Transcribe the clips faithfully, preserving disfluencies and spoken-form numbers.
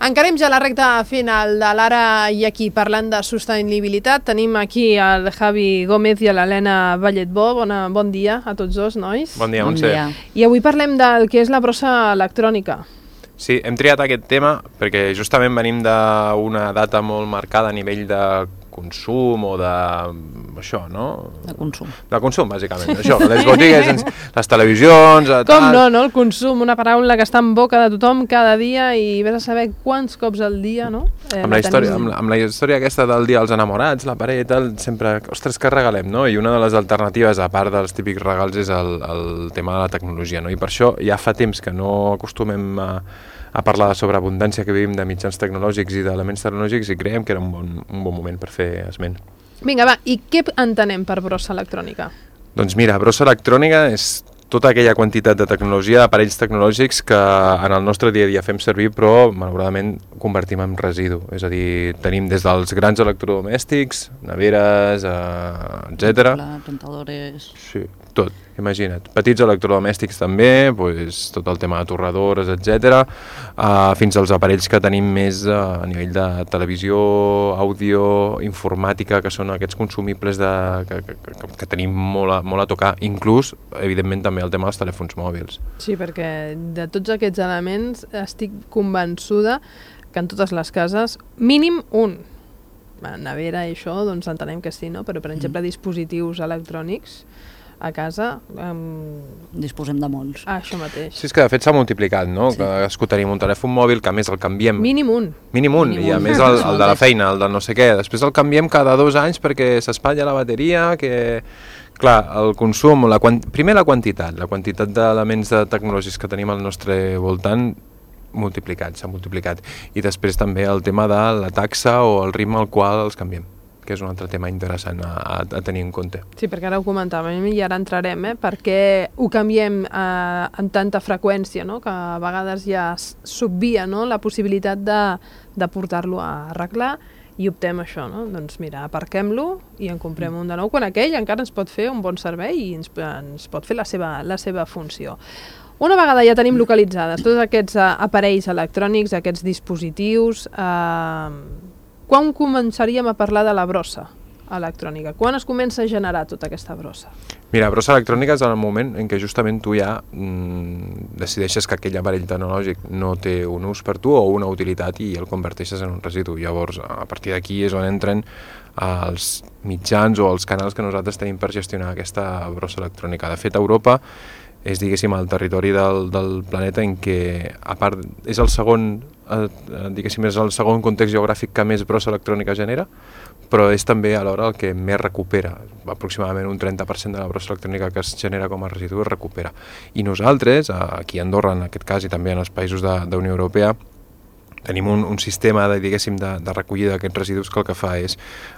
Encarem ja la recta final de l'Ara i aquí parlant de sostenibilitat. Tenim aquí el Javi Gómez i l'Helena Valletbó. Bona, bon dia a tots dos, nois. Bon dia, Montse. Bon dia. I avui parlem del que és la brossa electrònica. Sí, hem triat aquest tema perquè justament venim d'una data molt marcada a nivell de consum o de... això, no? De consum. De consum, bàsicament. Això, les botigues, les televisions... Com tal. no, no? El consum, una paraula que està en boca de tothom cada dia i vés a saber quants cops al dia, no? Eh, amb, la història, amb, la, amb la història aquesta del dia dels enamorats, la parella i tal, sempre, ostres, què regalem, no? I una de les alternatives, a part dels típics regals, és el, el tema de la tecnologia, no? I per això ja fa temps que no acostumem a a parlar de sobreabundància que vivim de mitjans tecnològics i d'elements tecnològics i creiem que era un bon, un bon moment per fer esment. Vinga, va, i què entenem per brossa electrònica? Doncs mira, brossa electrònica és tota aquella quantitat de tecnologia, d'aparells tecnològics que en el nostre dia a dia fem servir però malauradament convertim en residu. És a dir, tenim des dels grans electrodomèstics, neveres, eh, etcètera. Rentadores... Sí, tot, imagina't. Petits electrodomèstics també, pues, tot el tema de torradores, etcètera, uh, fins als aparells que tenim més uh, a nivell de televisió, àudio, informàtica, que són aquests consumibles de, que, que, que, que tenim molt a, molt a tocar, inclús, evidentment, també el tema dels telèfons mòbils. Sí, perquè de tots aquests elements estic convençuda que en totes les cases, mínim un. Nevera i això, doncs entenem que sí, no? Però, per exemple, dispositius electrònics a casa... Um... Disposem de molts. Ah, això mateix. Sí, és que de fet s'ha multiplicat, no? Sí. Que escoltaríem un telèfon mòbil, que a més el canviem... Mínim un. Mínim un, Mínim i a un. Més el, el de la feina, el de no sé què. Després el canviem cada dos anys perquè s'espatlla la bateria, que... Clar, el consum, la quant... primer la quantitat, la quantitat d'elements de tecnològics que tenim al nostre voltant multiplicat, s'ha multiplicat. I després també el tema de la taxa o el ritme al qual els canviem, que és un altre tema interessant a, a, a tenir en compte. Sí, perquè ara ho comentàvem i ara entrarem, eh? Perquè ho canviem eh, en tanta freqüència, no? Que a vegades ja s'obvia, no? La possibilitat de, de portar-lo a arreglar i optem això, no? Doncs mira, aparquem-lo i en comprem un de nou, quan aquell encara ens pot fer un bon servei i ens, ens pot fer la seva, la seva funció. Una vegada ja tenim localitzades tots aquests uh, aparells electrònics, aquests dispositius, uh, quan començaríem a parlar de la brossa electrònica? Quan es comença a generar tota aquesta brossa? Mira, brossa electrònica és en el moment en què justament tu ja mm, decideixes que aquell aparell tecnològic no té un ús per tu o una utilitat i el converteixes en un residu. Llavors, a partir d'aquí és on entren els mitjans o els canals que nosaltres tenim per gestionar aquesta brossa electrònica. De fet, a Europa és, diguéssim, el territori del, del planeta en què, a part, és el segon, eh, diguéssim, és el segon context geogràfic que més brossa electrònica genera, però és també alhora el que més recupera. Aproximadament un trenta per cent de la brossa electrònica que es genera com a residu es recupera. I nosaltres, aquí a Andorra en aquest cas i també en els països de, de Unió Europea, tenim un, un sistema de, diguéssim, de, de recollida d'aquests residus que el que fa és,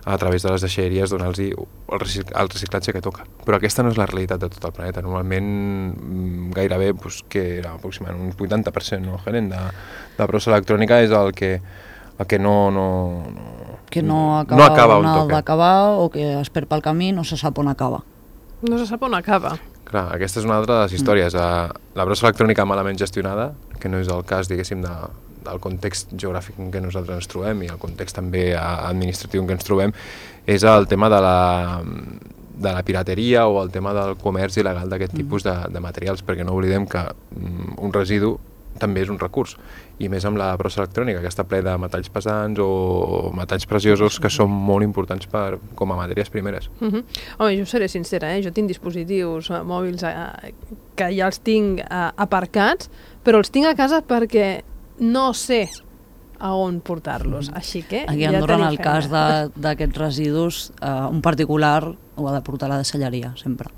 a través de les deixalleries, donar-los el, el reciclatge que toca. Però aquesta no és la realitat de tot el planeta. Normalment, gairebé, doncs, que era aproximadament un vuitanta per cent, no, Helen, de, de brossa electrònica és el que, el que no... no, no que no acaba, no acaba on, on toca. D'acabar o que es perd pel camí, no se sap on acaba. No se sap on acaba. Clar, aquesta és una altra de les històries. Mm. La brossa electrònica malament gestionada, que no és el cas, diguéssim, de, del context geogràfic en què nosaltres ens trobem i el context també administratiu en què ens trobem, és el tema de la, de la pirateria o el tema del comerç il·legal d'aquest mm. tipus de, de materials, perquè no oblidem que mm, un residu també és un recurs, i més amb la brossa electrònica, que està ple de metalls pesants o metalls preciosos que són molt importants per, com a matèries primeres. Uh -huh. Home, jo seré sincera, eh? Jo tinc dispositius uh, mòbils uh, que ja els tinc uh, aparcats, però els tinc a casa perquè no sé a on portar-los, així que aquí a Andorra, ja en el cas d'aquests residus, uh, un particular ho ha de portar a la deixalleria, sempre,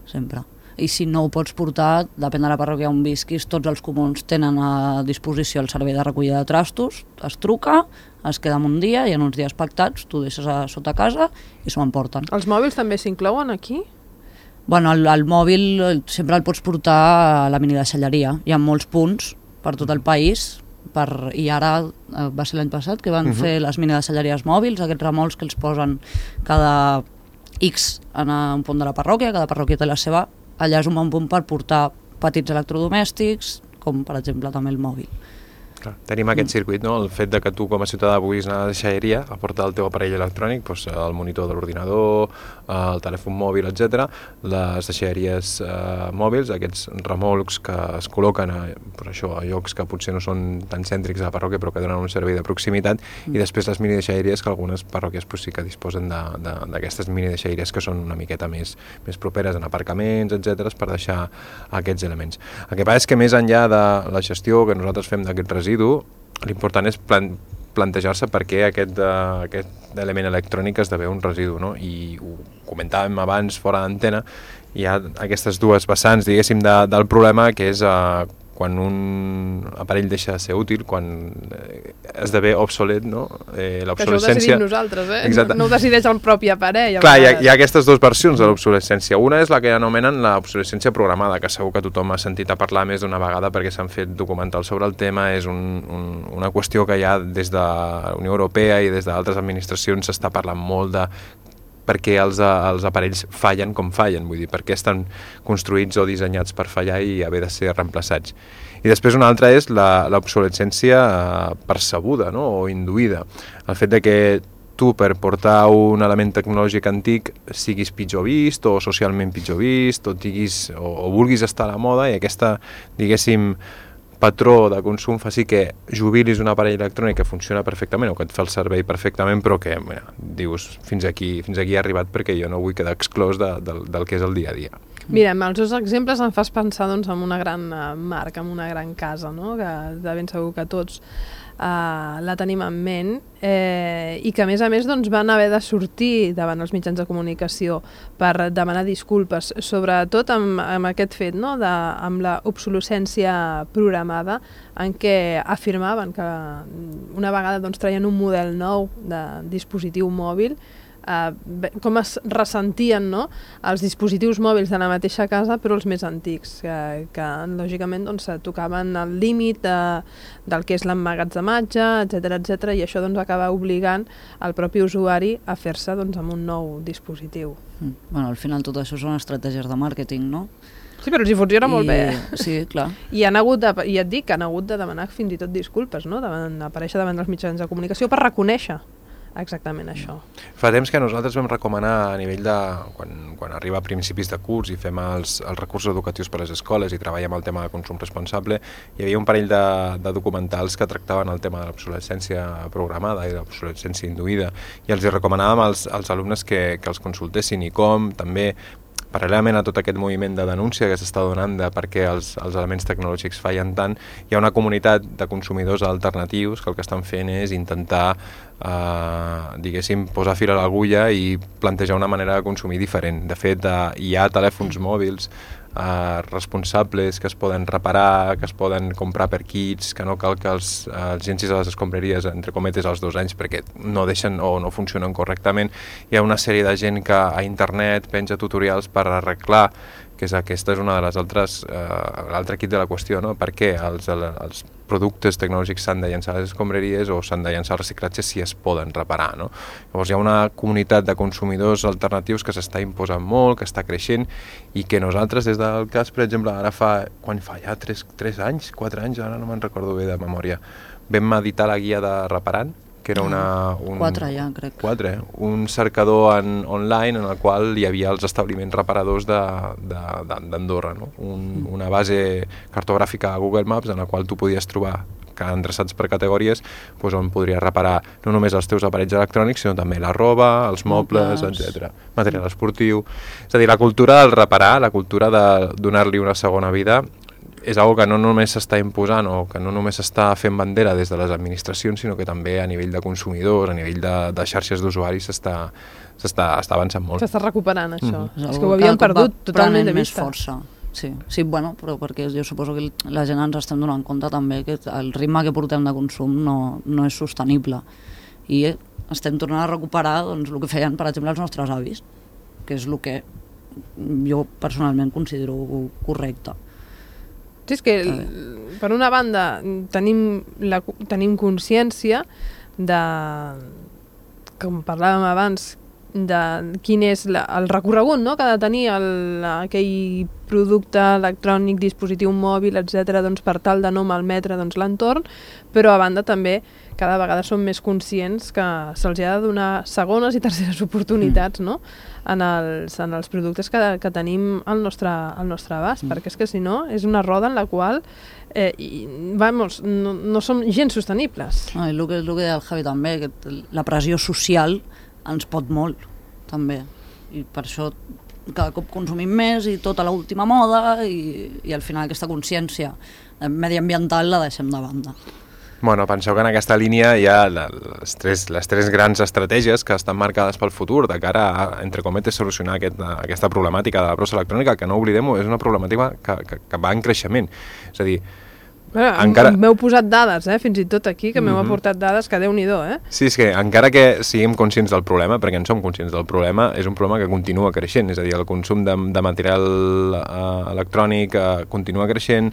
sempre. I si no ho pots portar, depèn de la parròquia on visquis, tots els comuns tenen a disposició el servei de recollida de trastos, es truca, es queda un dia i en uns dies pactats tu deixes a sota casa i s'ho emporten. Els mòbils també s'inclouen aquí? Bueno, el, el mòbil sempre el pots portar a la minideixalleria. Hi ha molts punts per tot el país, per, i ara eh, va ser l'any passat que van uh-huh. fer les minideixalleries mòbils, aquests remolcs que els posen cada X en un punt de la parròquia, cada parròquia té la seva. Allà és un bon punt per portar petits electrodomèstics, com per exemple també el mòbil. Clar, tenim aquest circuit, no? El fet de que tu com a ciutadà puguis anar a la deixalleria a portar el teu aparell electrònic, doncs, el monitor de l'ordinador, el telèfon mòbil, etcètera. Les deixalleries eh, mòbils, aquests remolcs que es col·loquen a, per això, a llocs que potser no són tan cèntrics a la parròquia però que donen un servei de proximitat, mm. i després les mini deixalleries, que algunes parròquies pues, sí que disposen d'aquestes de, de, mini deixalleries que són una miqueta més, més properes en aparcaments, etcètera, per deixar aquests elements. El que passa és que més enllà de la gestió que nosaltres fem d'aquest residu, l'important és plan plantejar-se per què aquest, uh, aquest element electrònic esdevé un residu, no? I ho comentàvem abans fora d'antena, hi ha aquestes dues vessants, diguéssim, de, del problema, que és uh, quan un aparell deixa de ser útil, quan eh, esdevé obsolet, no? Eh, l'obsolescència... Que això ho decidim nosaltres, eh? Exacte. No, no ho decideix el propi aparell. Clar, hi ha, hi ha aquestes dues versions de l'obsolescència. Una és la que anomenen l'obsolescència programada, que segur que tothom ha sentit a parlar més d'una vegada perquè s'han fet documentals sobre el tema. És un, un, una qüestió que ja des de la Unió Europea i des d'altres administracions s'està parlant molt de perquè els, els aparells fallen com fallen, vull dir, perquè estan construïts o dissenyats per fallar i haver de ser reemplaçats. I després una altra és l'obsolescència eh, percebuda, no? O induïda. El fet de que tu per portar un element tecnològic antic siguis pitjor vist o socialment pitjor vist o, diguis, o, o vulguis estar a la moda i aquesta, diguéssim, patró de consum fa sí que jubilis un aparell electrònic que funciona perfectament o que et fa el servei perfectament, però que mira, dius fins aquí, fins aquí he arribat perquè jo no vull quedar exclòs de, de, del que és el dia a dia. Mira, amb els dos exemples em fas pensar doncs, en una gran marca, en una gran casa, no? Que de ben segur que tots Uh, la tenim en ment eh, i que a més a més doncs, van haver de sortir davant els mitjans de comunicació per demanar disculpes, sobretot amb, amb aquest fet, no? de, amb la obsolescència programada, en què afirmaven que una vegada doncs, traien un model nou de dispositiu mòbil, Uh, com es ressentien, no? Els dispositius mòbils de la mateixa casa però els més antics que, que lògicament doncs, tocaven el límit de, del que és l'emmagatzematge, etcètera, etcètera, i això doncs, acaba obligant el propi usuari a fer-se doncs, amb un nou dispositiu. Mm. Bueno, al final tot això són estratègies de màrqueting, no? Sí, però els hi funciona I... molt bé. Sí, clar. I han hagut de, i et dic que han hagut de demanar fins i tot disculpes, no? Davant, aparèixer davant dels mitjans de comunicació per reconèixer exactament això. Fa temps que nosaltres vam recomanar a nivell de... Quan, quan arriba a principis de curs i fem els, els recursos educatius per a les escoles i treballem el tema de consum responsable, hi havia un parell de, de documentals que tractaven el tema de l'obsolescència programada i l'obsolescència induïda i els hi recomanàvem als, als alumnes que, que els consultessin i com, també paral·lelament a tot aquest moviment de denúncia que s'està donant de per què els, els elements tecnològics fallen tant, hi ha una comunitat de consumidors alternatius que el que estan fent és intentar eh, diguéssim, posar fil a l'agulla i plantejar una manera de consumir diferent. De fet, eh, hi ha telèfons mòbils eh, responsables que es poden reparar, que es poden comprar per kits, que no cal que els, els llencis a les escombraries, entre cometes, als dos anys perquè no deixen o no funcionen correctament. Hi ha una sèrie de gent que a internet penja tutorials per arreglar, que és aquesta és una de les altres, eh, l'altre kit de la qüestió, no? Per què els, els productes tecnològics s'han de llançar a les escombraries o s'han de llançar al reciclatge si es poden reparar, no? Llavors hi ha una comunitat de consumidors alternatius que s'està imposant molt, que està creixent i que nosaltres des del cas, per exemple, ara fa, quan fa ja tres, tres anys, quatre anys, ara no me'n recordo bé de memòria, vam editar la guia de Reparant, que era una... Un, quatre ja, crec. Quatre, un cercador en, online en el qual hi havia els establiments reparadors d'Andorra, no? Un, una base cartogràfica a Google Maps en la qual tu podies trobar endreçats per categories, doncs on podries reparar no només els teus aparells electrònics, sinó també la roba, els mobles, etcètera. Material esportiu. És a dir, la cultura del reparar, la cultura de donar-li una segona vida, és una que no només s'està imposant o que no només s'està fent bandera des de les administracions, sinó que també a nivell de consumidors, a nivell de, de xarxes d'usuaris s'està s'està avançant molt. S'està recuperant això. Mm-hmm. És que ho havíem perdut totalment de vista. Més força. Sí, sí, bueno, però perquè jo suposo que la gent ens estem donant compte també que el ritme que portem de consum no, no és sostenible i estem tornant a recuperar doncs, el que feien, per exemple, els nostres avis, que és el que jo personalment considero correcte. Sí, és que per una banda tenim, la, tenim consciència de, com parlàvem abans, de quin és la, el recorregut, no?, que ha de tenir el, aquell producte electrònic, dispositiu mòbil, etcètera, doncs per tal de no malmetre doncs, l'entorn, però a banda també cada vegada som més conscients que se'ls ha de donar segones i terceres oportunitats, no?, en els, en els productes que, que tenim al nostre, al nostre abast, mm. perquè és que si no és una roda en la qual eh, i, vamos, no, no som gens sostenibles. No, i el que, el que deia el Javi també, que la pressió social ens pot molt, també, i per això cada cop consumim més i tota l'última moda i, i al final aquesta consciència mediambiental la deixem de banda. Bueno, penseu que en aquesta línia hi ha les tres, les tres grans estratègies que estan marcades pel futur de cara a, entre cometes, solucionar aquest, aquesta problemàtica de la brossa electrònica, que no oblidem-ho, és una problemàtica que, que, que va en creixement. És a dir, bueno, encara... m'heu posat dades, eh, fins i tot aquí, que m'heu mm-hmm. aportat dades que Déu-n'hi-do, eh? Sí, és que encara que siguem conscients del problema, perquè en som conscients del problema, és un problema que continua creixent, és a dir, el consum de, de material uh, electrònic uh, continua creixent,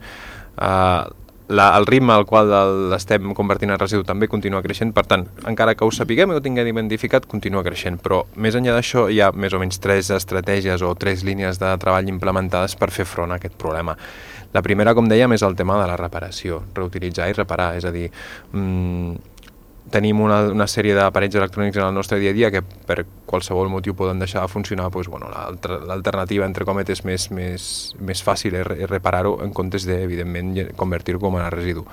uh, La, el ritme al qual l'estem convertint en residu també continua creixent, per tant, encara que ho sapiguem i ho tinguem identificat, continua creixent, però més enllà d'això hi ha més o menys tres estratègies o tres línies de treball implementades per fer front a aquest problema. La primera, com dèiem, és el tema de la reparació, reutilitzar i reparar, és a dir, mmm, tenim una, una sèrie d'aparells electrònics en el nostre dia a dia que per qualsevol motiu poden deixar de funcionar, doncs, bueno, l'alternativa, entre cometes, més, més, més fàcil és reparar-ho en comptes de, evidentment, convertir-ho com a residu.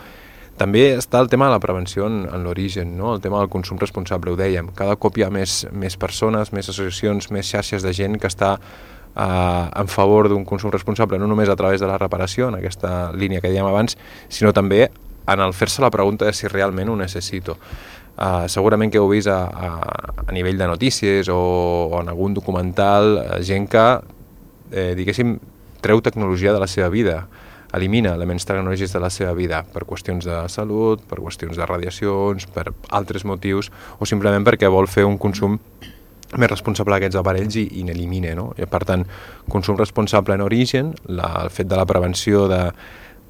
També està el tema de la prevenció en, en l'origen, no? El tema del consum responsable, ho dèiem. Cada cop hi ha més, més persones, més associacions, més xarxes de gent que està eh, en favor d'un consum responsable, no només a través de la reparació, en aquesta línia que dèiem abans, sinó també en el fer-se la pregunta de si realment ho necessito. Uh, segurament que heu vist a, a, a nivell de notícies o, o en algun documental uh, gent que, eh, diguéssim, treu tecnologia de la seva vida, elimina elements tecnològics de la seva vida per qüestions de salut, per qüestions de radiacions, per altres motius, o simplement perquè vol fer un consum més responsable d'aquests aparells i, i n'elimina, no? I, per tant, consum responsable en origen, la, el fet de la prevenció de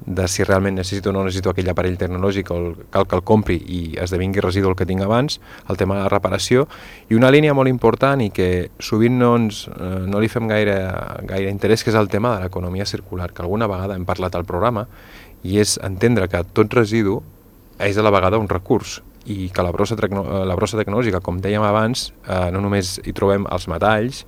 de si realment necessito o no necessito aquell aparell tecnològic o el, cal que el compri i esdevingui residu el que tinc abans, el tema de la reparació, i una línia molt important i que sovint no, ens, eh, no li fem gaire, gaire interès, que és el tema de l'economia circular, que alguna vegada hem parlat al programa, i és entendre que tot residu és a la vegada un recurs, i que la brossa, la brossa tecnològica, com dèiem abans, eh, no només hi trobem els metalls,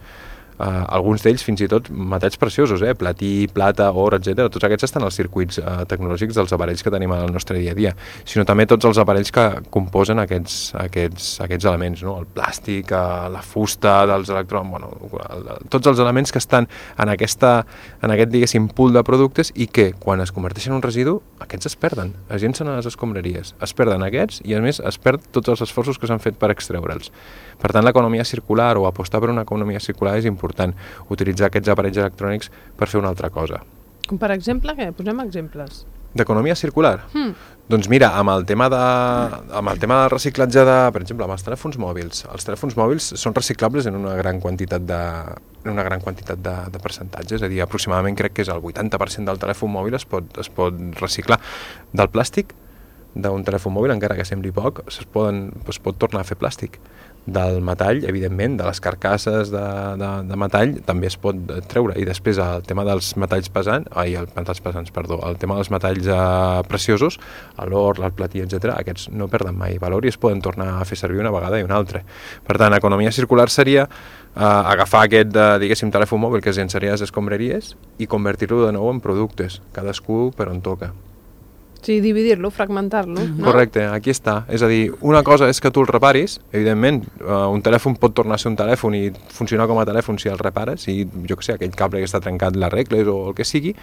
Uh, alguns d'ells fins i tot metalls preciosos, eh? Platí, plata, or, etcètera. Tots aquests estan als circuits uh, tecnològics dels aparells que tenim al nostre dia a dia, sinó també tots els aparells que composen aquests, aquests, aquests elements, no? El plàstic, uh, la fusta dels electrons, bueno, el, tots els elements que estan en, aquesta, en aquest, diguéssim, pool de productes i que, quan es converteixen en un residu, aquests es perden, es llencen a les escombraries, es perden aquests i, a més, es perd tots els esforços que s'han fet per extreure'ls. Per tant, l'economia circular o apostar per una economia circular és important, utilitzar aquests aparells electrònics per fer una altra cosa. Com per exemple, què? Posem exemples. D'economia circular? Hmm. Doncs mira, amb el tema de, amb el tema de reciclatge de, per exemple, amb els telèfons mòbils. Els telèfons mòbils són reciclables en una gran quantitat de, en una gran quantitat de, de percentatges, és a dir, aproximadament crec que és el vuitanta per cent del telèfon mòbil es pot, es pot reciclar. Del plàstic d'un telèfon mòbil, encara que sembli poc, es, poden, es pot tornar a fer plàstic. Del metall, evidentment, de les carcasses de, de, de metall també es pot treure, i després el tema dels metalls pesants, ai, els metalls pesants, perdó, el tema dels metalls eh, preciosos, l'or, el platí, etcètera, aquests no perden mai valor i es poden tornar a fer servir una vegada i una altra. Per tant, economia circular seria eh, agafar aquest, eh, diguéssim, telèfon mòbil que es llençaria a les escombraries i convertir-lo de nou en productes, cadascú per on toca. Sí, dividir-lo, fragmentar-lo. No? Correcte, aquí està. És a dir, una cosa és que tu el reparis, evidentment, uh, un telèfon pot tornar a ser un telèfon i funcionar com a telèfon si el repares, i jo què sé, aquell cable que està trencat l'arregles o el que sigui,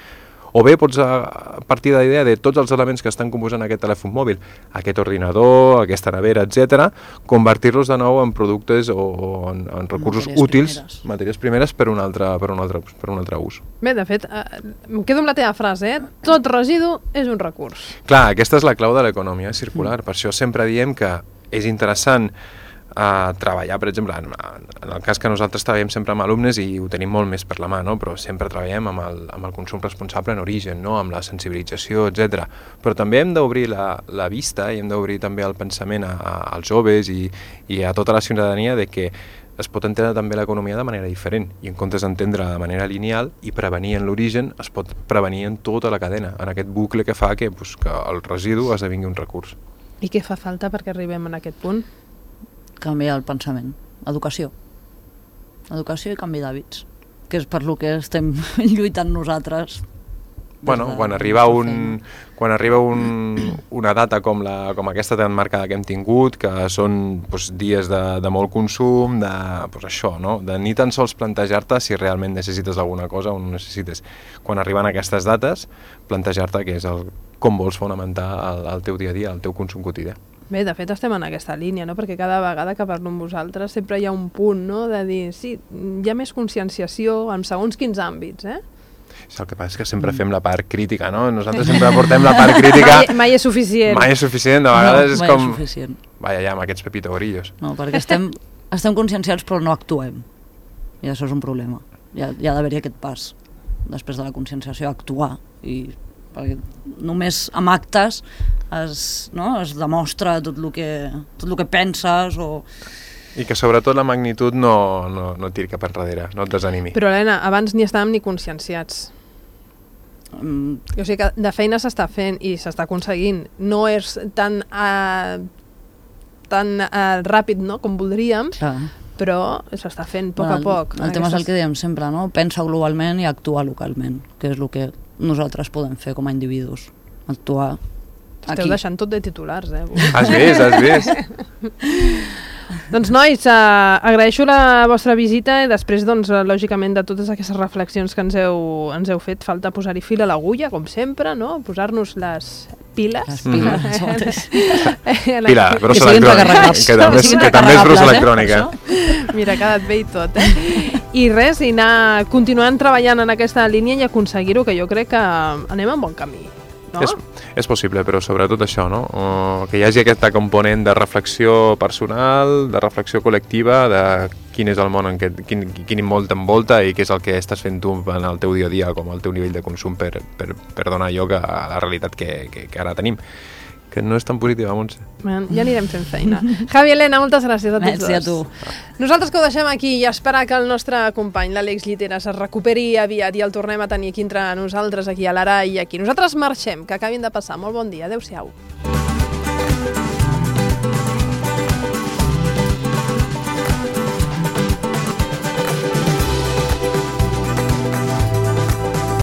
o bé pots a partir de la idea de tots els elements que estan composant aquest telèfon mòbil, aquest ordinador, aquesta nevera, etcètera, convertir-los de nou en productes o, o en, en recursos matèries útils, primeres. matèries primeres per un altre, per un altre, per un altre ús. Bé, de fet, eh, em quedo amb la teva frase, eh? Tot residu és un recurs. Clar, aquesta és la clau de l'economia circular, mm. per això sempre diem que és interessant a treballar, per exemple, en, en el cas que nosaltres treballem sempre amb alumnes i ho tenim molt més per la mà, no? Però sempre treballem amb el, amb el consum responsable en origen, no? Amb la sensibilització, etcètera. Però també hem d'obrir la, la vista i hem d'obrir també el pensament a, a, als joves i, i a tota la ciutadania de que es pot entendre també l'economia de manera diferent i en comptes d'entendre de manera lineal i prevenir en l'origen, es pot prevenir en tota la cadena, en aquest bucle que fa que, pues, que el residu esdevingui un recurs. I què fa falta perquè arribem en aquest punt? Canviar el pensament. Educació. Educació i canvi d'hàbits, que és per lo que estem lluitant nosaltres. Bueno, de, quan arriba, un, quan arriba un, una data com, la, com aquesta tan marcada que hem tingut, que són pues, dies de, de molt consum, de pues, això, no? De ni tan sols plantejar-te si realment necessites alguna cosa o no necessites. Quan arriben aquestes dates, plantejar-te què és el, com vols fonamentar el, el teu dia a dia, el teu consum quotidià. Bé, de fet estem en aquesta línia, no? Perquè cada vegada que parlo amb vosaltres sempre hi ha un punt, no? De dir, sí, hi ha més conscienciació en segons quins àmbits, eh? El que passa és que sempre fem la part crítica, no? Nosaltres sempre portem la part crítica... Mai, mai és suficient. Mai és suficient, de vegades no, és mai com... És suficient. Vaja, ja, amb aquests pepito grillos. No, perquè estem, estem conscienciats però no actuem. I això és un problema. Hi ha, hi ha d'haver-hi aquest pas, després de la conscienciació, actuar. I, perquè només amb actes es, no, es demostra tot el que, tot el que penses o... I que sobretot la magnitud no, no, no et tiri cap enrere, no et desanimi. Però, Helena, abans ni estàvem ni conscienciats. Mm. O sigui que de feina s'està fent i s'està aconseguint. No és tan, uh, tan uh, ràpid, no?, com voldríem, Clar. però s'està fent a poc bueno, a poc. El, el tema és el que diem sempre, no? Pensa globalment i actua localment, que és el que nosaltres podem fer com a individus. Actuar Esteu aquí. deixant tot de titulars, eh? Has vist, has vist? Doncs, nois, eh, agraeixo la vostra visita i després, doncs, lògicament, de totes aquestes reflexions que ens heu, ens heu fet, falta posar-hi fil a l'agulla, com sempre, no? Posar-nos les piles. Les piles, Mm. mateix. Pila, Que brossa siguin electrònica. recarregables. Que també, Que siguin que també és brossa recarregables, eh? electrònica. Mira, ha quedat bé i tot, eh? I res, i anar continuant treballant en aquesta línia i aconseguir-ho, que jo crec que anem en bon camí, no? És, és possible, però sobretot això, no? Uh, que hi hagi aquest component de reflexió personal, de reflexió col·lectiva, de quin és el món en què, quin, quin món t'envolta i què és el que estàs fent tu en el teu dia a dia, com el teu nivell de consum per, per, per donar lloc a la realitat que, que, que ara tenim, que no és tan positiva, Montse. Ja anirem fent feina. Javi, Helena, moltes gràcies a tots Merci a dos. tu. Nosaltres que ho deixem aquí i esperar que el nostre company, l'Àlex Lliteras, es recuperi aviat i el tornem a tenir aquí entre nosaltres, aquí a l'Ara i aquí. Nosaltres marxem, que acabin de passar. Molt bon dia. Adéu-siau.